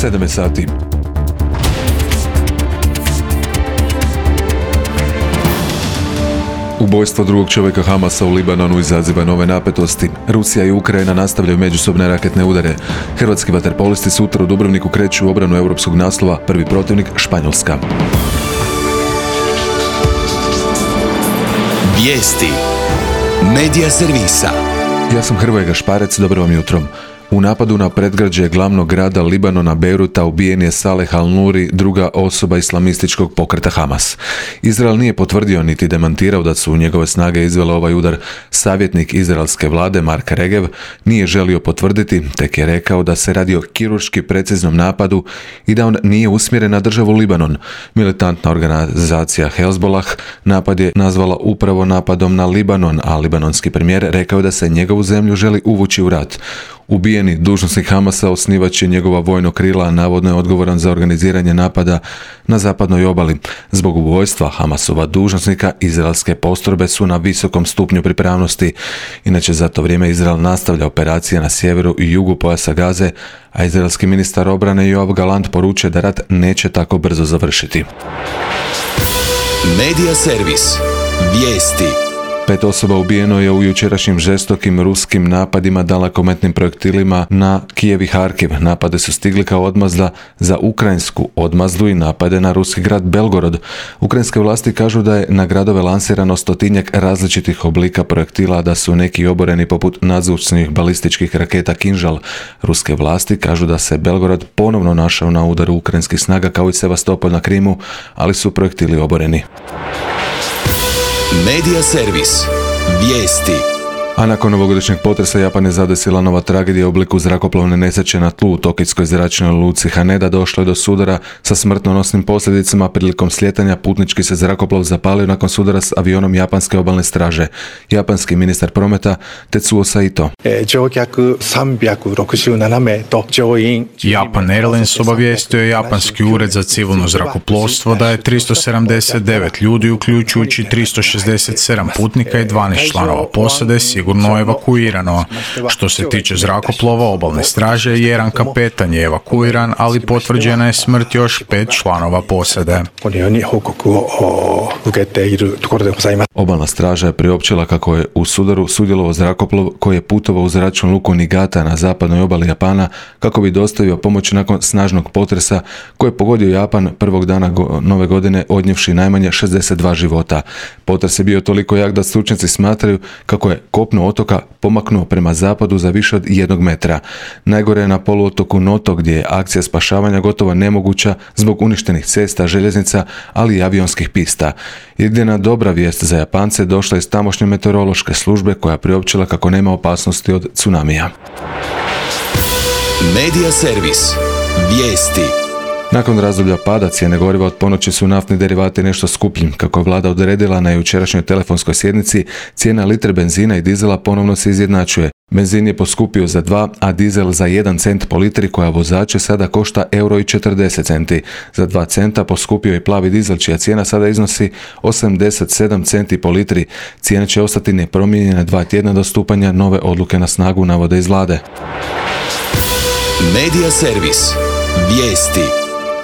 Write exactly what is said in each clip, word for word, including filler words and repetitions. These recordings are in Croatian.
sedam sati. Ubojstvo drugog čovjeka Hamasa u Libanonu izaziva nove napetosti. Rusija i Ukrajina nastavljaju međusobne raketne udare. Hrvatski vaterpolisti sutra u Dubrovniku kreću u obranu europskog naslova, prvi protivnik Španjolska. Vijesti Medija servisa. Ja sam Hrvoje Gašparec, dobro vam jutro. U napadu na predgrađe glavnog grada Libanona Beiruta ubijen je Saleh al-Nuri, druga osoba islamističkog pokreta Hamas. Izrael nije potvrdio niti demantirao da su njegove snage izvele ovaj udar. Savjetnik izraelske vlade Mark Regev nije želio potvrditi, tek je rekao da se radi o kirurški preciznom napadu i da on nije usmjeren na državu Libanon. Militantna organizacija Hezbollah napad je nazvala upravo napadom na Libanon, a libanonski premijer rekao da se njegovu zemlju želi uvući u rat. Ubijeni dužnosnik Hamasa osnivač je njegova vojno krila, a navodno je odgovoran za organiziranje napada na zapadnoj obali. Zbog ubojstva Hamasova dužnosnika izraelske postrojbe su na visokom stupnju pripravnosti. Inače, za to vrijeme Izrael nastavlja operacije na sjeveru i jugu pojasa Gaze, a izraelski ministar obrane Yoav Gallant poručuje da rat neće tako brzo završiti. Medija servis. Vijesti. Pet osoba ubijeno je u jučerašnjim žestokim ruskim napadima dalekometnim projektilima na Kijev i Harkiv. Napade su stigli kao odmazda za ukrajinsku odmazdu i napade na ruski grad Belgorod. Ukrajinske vlasti kažu da je na gradove lansirano stotinjak različitih oblika projektila, da su neki oboreni poput nadzvučnih balističkih raketa Kinžal. Ruske vlasti kažu da se Belgorod ponovno našao na udaru ukrajinskih snaga kao i Sevastopol na Krimu, ali su projektili oboreni. Medija servis. Vijesti. A nakon ovogodišnjeg potresa Japan je zadesila nova tragedija u obliku zrakoplovne nesreće na tlu u tokijskoj zračnoj luci Haneda. Došlo je do sudara sa smrtonosnim posljedicama. Prilikom slijetanja putnički se zrakoplov zapalio nakon sudara s avionom japanske obalne straže. Japanski ministar prometa Tetsuo Saito. Japan Airlines obavijestio je japanski ured za civilno zrakoplovstvo da je tristo sedamdeset devet ljudi, uključujući tristo šezdeset sedam putnika i dvanaest članova posade, sigurno evakuirano. Što se tiče zrakoplova obalne straže, jedan kapetan je evakuiran, ali potvrđena je smrt još pet članova posade. Obalna straža je priopćila kako je u sudaru sudjelovao zrakoplov koji je putovao u zračnu luku Niigata na zapadnoj obali Japana kako bi dostavio pomoć nakon snažnog potresa koji je pogodio Japan prvog dana go- nove godine, odnijevši najmanje šezdeset dva života. Potres je bio toliko jak da stručnjaci smatraju kako je kopno otoka pomaknuo prema zapadu za više od jednog metra. Najgore je na poluotoku Noto, gdje je akcija spašavanja gotovo nemoguća zbog uništenih cesta, željeznica, ali i avionskih pista. Jedina dobra vijest za Japance došla iz tamošnje meteorološke službe koja je priopćila kako nema opasnosti od tsunamija. Medija servis. Vijesti. Nakon razdoblja pada cijene goriva od ponoći su naftni derivati nešto skuplji. Kako je vlada odredila na jučerašnjoj telefonskoj sjednici, cijena litre benzina i dizela ponovno se izjednačuje. Benzin je poskupio za dva, a dizel za jedan cent po litri, koja vozače sada košta euro i četrdeset centi. Za dva centa poskupio je plavi dizel, čija cijena sada iznosi osamdeset sedam centi po litri. Cijena će ostati nepromijenjena dva tjedna do stupanja nove odluke na snagu, navode iz vlade. Medija servis. Vijesti.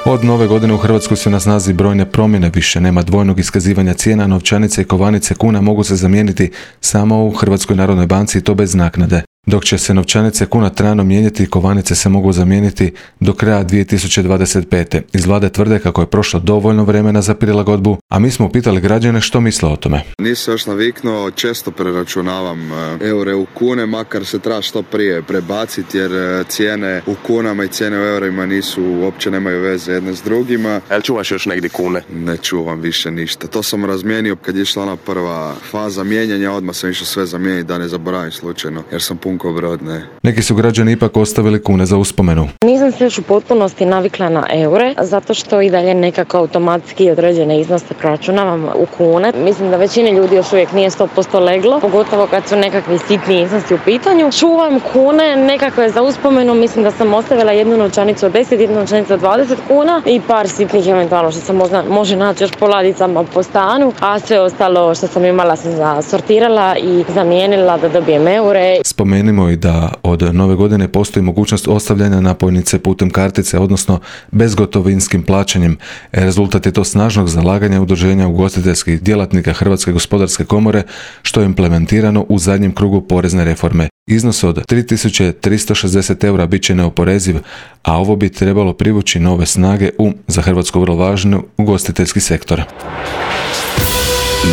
Od nove godine u Hrvatskoj su na snazi brojne promjene, više nema dvojnog iskazivanja cijena, novčanice i kovanice kuna mogu se zamijeniti samo u Hrvatskoj narodnoj banci i to bez naknade. Dok će se novčanice kuna trajno mijenjati, kovanice se mogu zamijeniti do kraja dvije tisuće dvadeset pete. Iz vlade tvrde kako je prošlo dovoljno vremena za prilagodbu, a mi smo upitali građane što misle o tome. Nisam još naviknuo, često preračunavam eure u kune, makar se treba što prije prebaciti jer cijene u kunama i cijene u eurima nisu, uopće nemaju veze jedne s drugima. Jel čuvaš još negdje kune? Ne čuvam više ništa. To sam razmijenio kad je išla ona prva faza mijenjanja, odmah sam išao sve zamijeniti da ne zaboravim slučajno, jer sam pun ko brod, ne. Neki su građani ipak ostavili kune za uspomenu. Nisam se još u potpunosti navikla na eure, zato što i dalje nekako automatski određene iznose proračunavam u kune. Mislim da većini ljudi još uvijek nije sto posto leglo, pogotovo kad su nekakvi sitni iznosi u pitanju. Čuvam kune, nekako je za uspomenu, mislim da sam ostavila jednu novčanicu od deset, jednu novčanicu od dvadeset kuna i par sitnih eventualno što se možda, može naći još po ladicama po stanu, a sve ostalo što sam imala sam sortirala i zamijenila da dobijem eure. Spomenuli Napomenimo i da od nove godine postoji mogućnost ostavljanja napojnice putem kartice, odnosno bezgotovinskim plaćanjem. Rezultat je to snažnog zalaganja udruženja ugostiteljskih djelatnika Hrvatske gospodarske komore, što je implementirano u zadnjem krugu porezne reforme. Iznos od tri tisuće tristo šezdeset eura bit će neoporeziv, a ovo bi trebalo privući nove snage u, za Hrvatsku vrlo važnu, ugostiteljski sektor.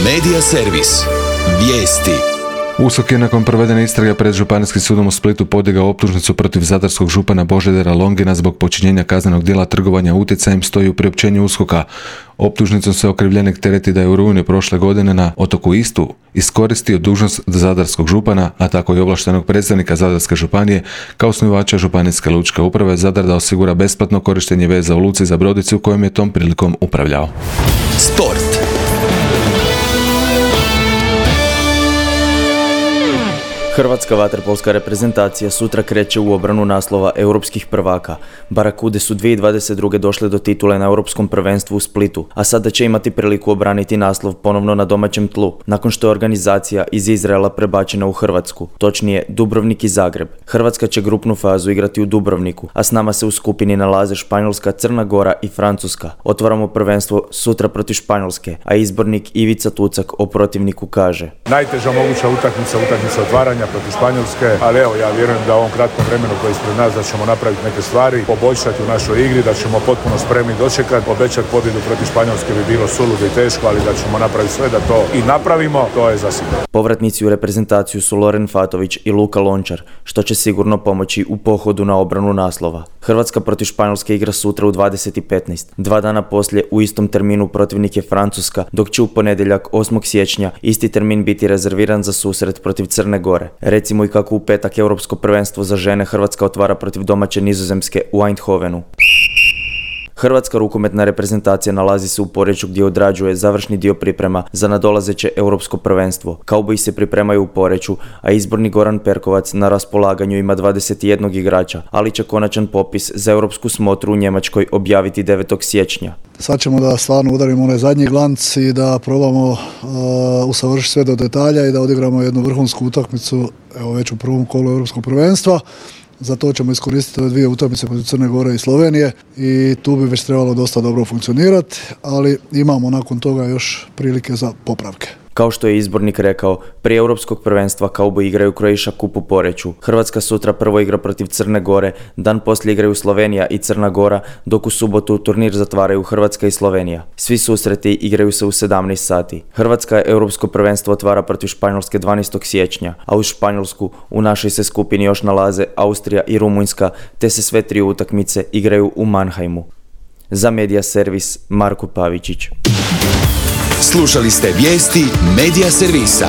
Medija servis. Vijesti. U S O K je nakon provedene istrage pred Županijskim sudom u Splitu podigao optužnicu protiv zadarskog župana Božidara Longina zbog počinjenja kaznenog djela trgovanja utjecajem, stoji u priopćenju U S K O K-a. Optužnicom se okrivljenik tereti da je u rujnu prošle godine na otoku Istu iskoristio dužnost zadarskog župana, a tako i ovlaštenog predstavnika Zadarske županije, kao osnivača Županijske lučke uprave Zadar, da osigura besplatno korištenje veza u luci za brodicu kojom je tom prilikom upravljao. Sport. Hrvatska vaterpolska reprezentacija sutra kreće u obranu naslova europskih prvaka. Barakude su dvije tisuće dvadeset druge došle do titule na europskom prvenstvu u Splitu, a sada će imati priliku obraniti naslov ponovno na domaćem tlu, nakon što je organizacija iz Izraela prebačena u Hrvatsku, točnije Dubrovnik i Zagreb. Hrvatska će grupnu fazu igrati u Dubrovniku, a s nama se u skupini nalaze Španjolska, Crna Gora i Francuska. Otvaramo prvenstvo sutra protiv Španjolske, a izbornik Ivica Tucak o protivniku kaže: najteža moguća utakmica, utakmica otvaranja protiv Španjolske, ali evo, ja vjerujem da u ovom kratkom vremenu koji je ispred nas da ćemo napraviti neke stvari, poboljšati u našoj igri, da ćemo potpuno spremni dočekati. Obećati pobjedu protiv Španjolske bi bilo suludo i teško, ali da ćemo napraviti sve da to i napravimo, to je zasigurno. Povratnici u reprezentaciju su Loren Fatović i Luka Lončar, što će sigurno pomoći u pohodu na obranu naslova. Hrvatska protiv Španjolske igra sutra u dvadeset i petnaest. Dva dana poslije u istom terminu protivnik je Francuska, dok će u ponedjeljak osmog siječnja isti termin biti rezerviran za susret protiv Crne Gore. Recimo i kako u petak Europsko prvenstvo za žene Hrvatska otvara protiv domaće Nizozemske u Eindhovenu. Hrvatska rukometna reprezentacija nalazi se u Poreču gdje odrađuje završni dio priprema za nadolazeće europsko prvenstvo. Kauboji se pripremaju u Poreču, a izborni Goran Perkovac na raspolaganju ima dvadeset jedan igrača, ali će konačan popis za europsku smotru u Njemačkoj objaviti devetog siječnja. Sad ćemo da stvarno udarimo onaj zadnji glanc i da probamo uh, usavršiti sve do detalja i da odigramo jednu vrhunsku utakmicu, evo već u prvom kolu europskog prvenstva. Za to ćemo iskoristiti ove dvije utakmice protiv Crne Gore i Slovenije i tu bi već trebalo dosta dobro funkcionirati, ali imamo nakon toga još prilike za popravke. Kao što je izbornik rekao, prije europskog prvenstva Kauboji igraju Croatia Cup u Poreču. Hrvatska sutra prvo igra protiv Crne Gore, dan poslije igraju Slovenija i Crna Gora, dok u subotu turnir zatvaraju Hrvatska i Slovenija. Svi susreti igraju se u sedamnaest sati. Hrvatska europsko prvenstvo otvara protiv Španjolske dvanaestog siječnja, a uz Španjolsku u našoj se skupini još nalaze Austrija i Rumunjska, te se sve tri utakmice igraju u Mannheimu. Za Medija servis Marko Pavičić. Slušali ste vijesti Medija servisa.